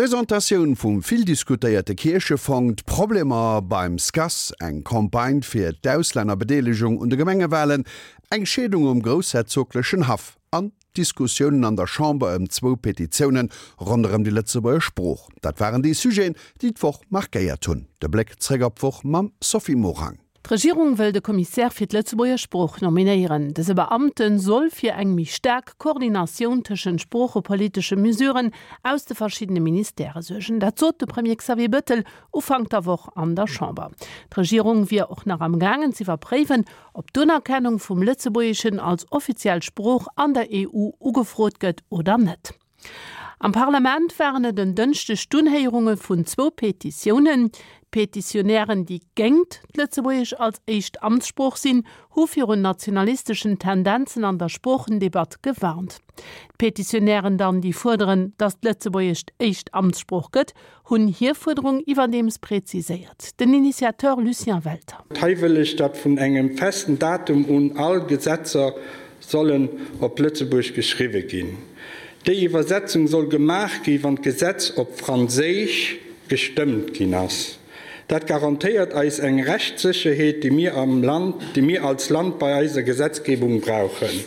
D'Presentatioun vum vill diskutéierte Kierchefong, d'Problemer beim SCAS, eng Campagne fir d'Auslännerbedeelegung un de Gemengewalen, eng Scheedung um groussherzoglechen Haff an d'Diskussiounen an der Chamber ëm zwou Petitioune ronderëm déi Lëtzebuerger Sprooch, dat waren déi Sujeten, déi d'Woch markéiert hunn. De Bléck zréck op d'Woch mam Sophie Morang. D'Regierung wëll de Commissaire fir d'Lëtzebuerger Sprooch nominéieren. Dëse Beamte soll fir eng méi staark Koordinatioun tëschent sproochepolitesche Mesuren aus de verschiddene Ministèrë suergen. Dat sot de Premier Xavier Bettel Ufank der Woch an der Chamber. D'Regierung wier och nach am gaangen z'iwwerpréiwen, ob d'Unerkennung vum Lëtzebuergeschen als offiziell Sprooch an der EU ugefrot gëtt oder net. Am Parlament waren et en Dënschdeg d'Unhéierunge vun zwou Petitiounen. D'Petitionären, déi géingt d'Lëtzebuergesch als éischt Amtssprooch sinn, hu virun nationalisteschen Tendenzen an der Sproochendebatt gewarnt. D'Petitionären dann, déi fuerderen, datt d'Lëtzebuergescht éischt Amtssprooch gëtt, hunn hir Fuerderung iwwerdeems präziséiert. Den Initiateur Lucien Welter. Hei wëll ech, datt vun engem festen Datum un all Gesetzer sollen op Lëtzebuerg geschriwwe ginn. Déi Iwwersetzung soll gemaach gi wann d'Gesetz op Franséisch gestëmmt ginn ass. Dat garantéiert eis eng Rechtssécherheet, déi mir am Land, déi mir als Land bei eiser Gesetzgebung brauchen.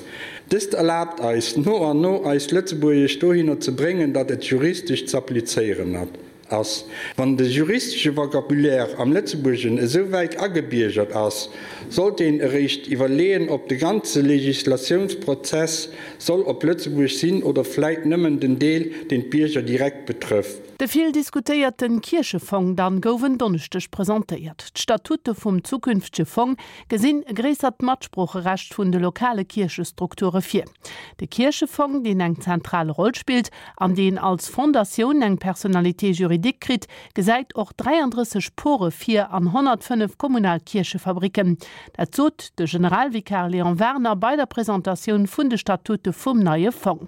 Dëst erlaabt eis, no an no eist Lëtzebuergesch dohinner ze bréngen, datt et juristesch z'applizéieren ass. Wann de juristesche Vocabulaire am Lëtzebuergen esou wäit agebiergert ass, sollt een eréischt iwwerleeën, ob de ganze Legislatiounsprozess soll op Lëtzebuerg sinn oder vläit nëmmen den Deel, deen d'Bierger direkt betrëfft. De vill diskutéierte Kierchefong dann gouf en Donneschdeg presentéiert. D'Statute vum zukünftege Fong gesinn e gréissert Matsproocherecht vun de lokale Kierchestrukture vir. De Kierchefong, deen eng zentral Roll spillt an deen als Fondatioun eng Personnalité juridique kritt, gesäit och 33 Pore vir an 105 kommunal Kierchefabricken. Dat sot de Generalvikar Léon Werner bei der Presentatioun vun de Statute vum neie Fong.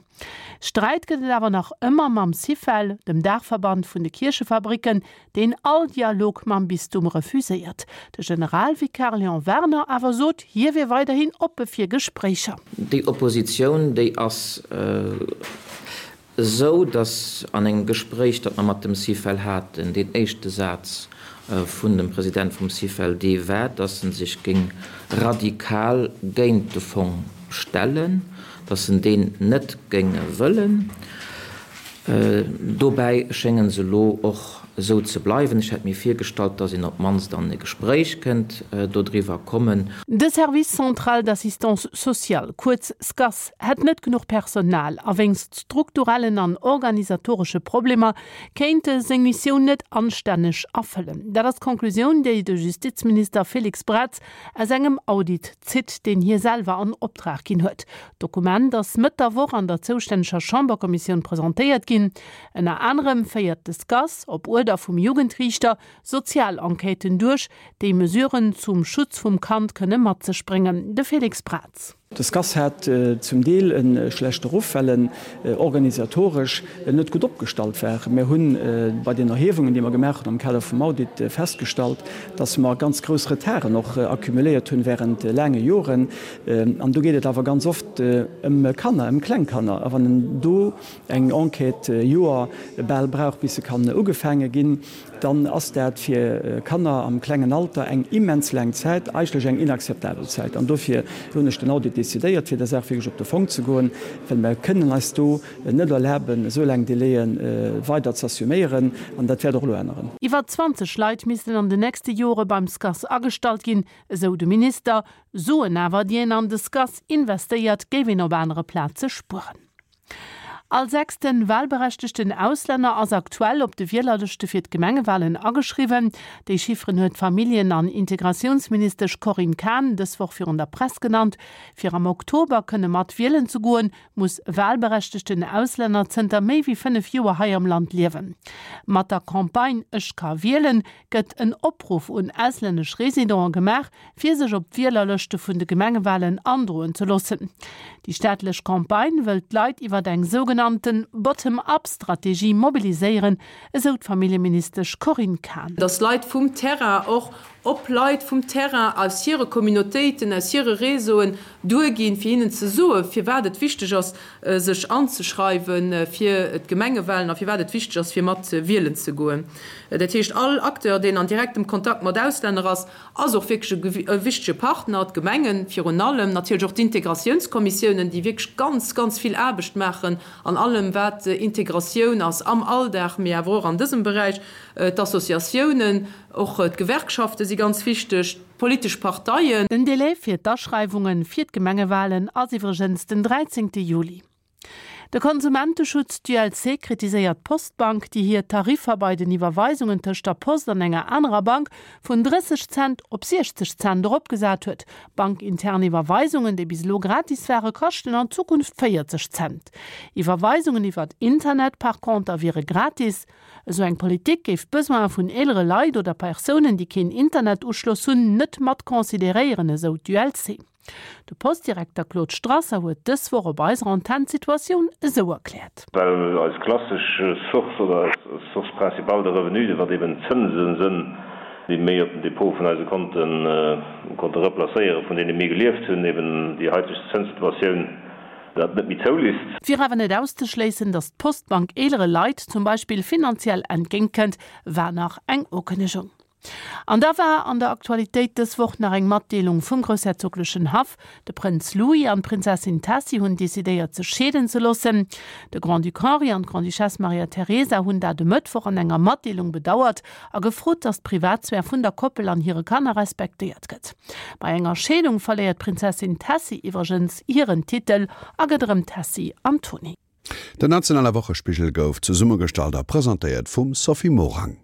Sträit gëtt et awer nach ëmmer mam Syfel, dem Daachverband vun de Kierchefabricken, deen all Dialog mam Bistum refuséiert. De Generalvikar Léon Werner awer sot, hie wier weiderhin oppe fir Gespréicher. Déi Oppositioun, déi ass esou, datt an engem Gespréich, dat mer mat dem Syfel haten, deen éischte Saz vun dem President vum Syfel dee war, datt en sech géing radikal géint de Fong stellen, datt en deen net géing wëllen. Dobäi schénge se elo och esou ze bleiwen. Ech hätt mir virgestallt, datt een op d'mannst an e Gespréich kënnt dodriwwer kommen. De Service central d'assistance sociale, kuerz SCAS, hätt net genuch Personal a wéinst strukturellen an organisatoresche Problemer kéint e seng Missioun net anstänneg erfëllen. Dat ass d'Conclusioun, déi de Justizminister Félix Braz aus engem Audit zitt, deen hie selwer an Optrag ginn huet. D'Dokument ass Mëtt der Woch an der zoustänneger Chamberkommissioun presentéiert ginn. Ënner anerem féiert de SCAS, op Uerder vum Jugendriichter, sozial Enquêten duerch, déi Mesuren zum Schutz vum Kand kënne mat sech bréngen. De Félix Braz. De SCAS hat zum Deel e schlechte Ruff, well en organisatoresch net gutt opgestallt war. Mir hu bei den Erhiewungen, déi mer gemaach hunn am Kader vum Audit, festgestallt, dass mer ganz grouss Retarden och accumuléiert hunn während laange Joren. An do geet et awer ganz oft ëm Kanner, ëm kleng Kanner. A wann en do eng Enquête Joer bal brauch, bis se kann ugefaange ginn, dann ass dat fir Kanner am klengen Alter eng immens laang Zäit, eigentlech eng inakzeptabel Zäit. An dofir hunn ech den Audit decidéiert, fir der Saach wierklech op de Fong ze goen, well mer kënnen eis do net erlaben, esou laang Délaië weider z'assuméieren. An dat wäert och elo änneren. Iwwer 20 Leit missten an den nächste Jore beim SCAS agestallt ginn, esou de Minister. Suen awer, déi een an de SCAS investéiert, géif een op anere Plaze spueren. All sechsten wahlberechtegten Auslänner ass aktuell op de Wielerlëschte fir d'Gemengewahlen ageschriwwen. Déi Chifferen huet d'Familljen an Integratiounsministesch Corinne Cahen dës Woch virun der Press genannt. Fir am Oktober kënne mat wielen ze goen, muss e wahlberechtegten Auslänner zënter méi wéi 5 Joer hei am Land liewen. Mat der Campagne Ech ka wielen gëtt en Opruff un auslännesch Residenten gemaach, fir sech op d'Wielerlëschte vun de Gemengewalen androen ze loossen. Déi staatlech Campagne wëll d'Leit iwwer eng sougenannte Bottom-up-Strategie mobiliséieren, esou d'Familljeministesch Corinne Cahen. Dass Leit vum Terrain och. Op Leit vum Terrain, aus hire Communautéiten, aus hire Réseauen duerginn, fir hinnen ze soen, firwat et wichteg ass, sech anzeschreiwe fir d'Gemengewahlen a firwat et wichteg ass, fir mat wielen ze goen. Dat heescht, all Acteur, deen an direktem Kontakt mat Auslänner ass, ass och wierklech e wichtege Partner. D'Gemengen virun allem, natierlech och d'Integratiounskommissiounen, déi wierklech ganz, ganz vill Aarbecht maachen an allem, wat Integratioun ass am Alldag, mee awer och an dësem Beräich, d'Associatiounen. Och d'Gewerkschafte si ganz wichteg, d'politesch Parteien. Den Delai fir d'Aschreiwunge fir d'Gemengewalen ass iwwregens den 13 Juli. De Konsumenteschutz, d'ULC, kritiséiert d'Postbank, déi hir Tariffer bei den Iwwerweisungen tëscht der Post an enger anerer Bank vun 30 Cent op 60 Cent eropgesat huet. Bankintern Iwwerweisungen, déi bis elo gratis ware, kaschten an Zukunft 40 Cent. Iwwerweisungen iwwert Internet par conter wiere gratis. Esou eng Politik géif d'Besoine vun eelere Leit oder Persounen, déi keen Internetuschloss hunn, net mat consideréieren, esou d'ULC. De Postdirekter Claude Strasser huet dës Woch op eiser Antenn d'Situatioun esou erkläert. Well eis klassesch Source oder eis Source principale de revenu, wat eben d'Zënse sënn, déi méi op den Depot vun eise Konte konnte replacéieren, vun deene mir gelieft hunn, eben déi haiteg Zënssituatioun dat net méi zoulisst. Et wier awer net auszeschléissen, datt d'Postbank eelere Leit zum Beispill finanziell entgéint kënnt, war nach eng Ukënnegung. An da war an der Aktualitéit dës Woch nach eng Matdeelung vum groussherzoglechen Haff, De Prënz Louis an d'Prinzessin Tessy hunn decidéiert sech scheeden ze loossen. De Grand-Duc Henri an d'Grande-Duchesse Maria Teresa hunn dat e Mëttwoch an enger Matdeelung bedauert a gefrot, datt d'Privatsphär vun der Koppel an hire Kanner respektéiert gëtt. Bei enger Scheedung verléiert d'Prinzessin Tessy iwwregens hiren Titel a gëtt erëm Tessy Antony. Den nationale Wochespigel gouf zesummegestallt a presentéiert vum Sophie Morang.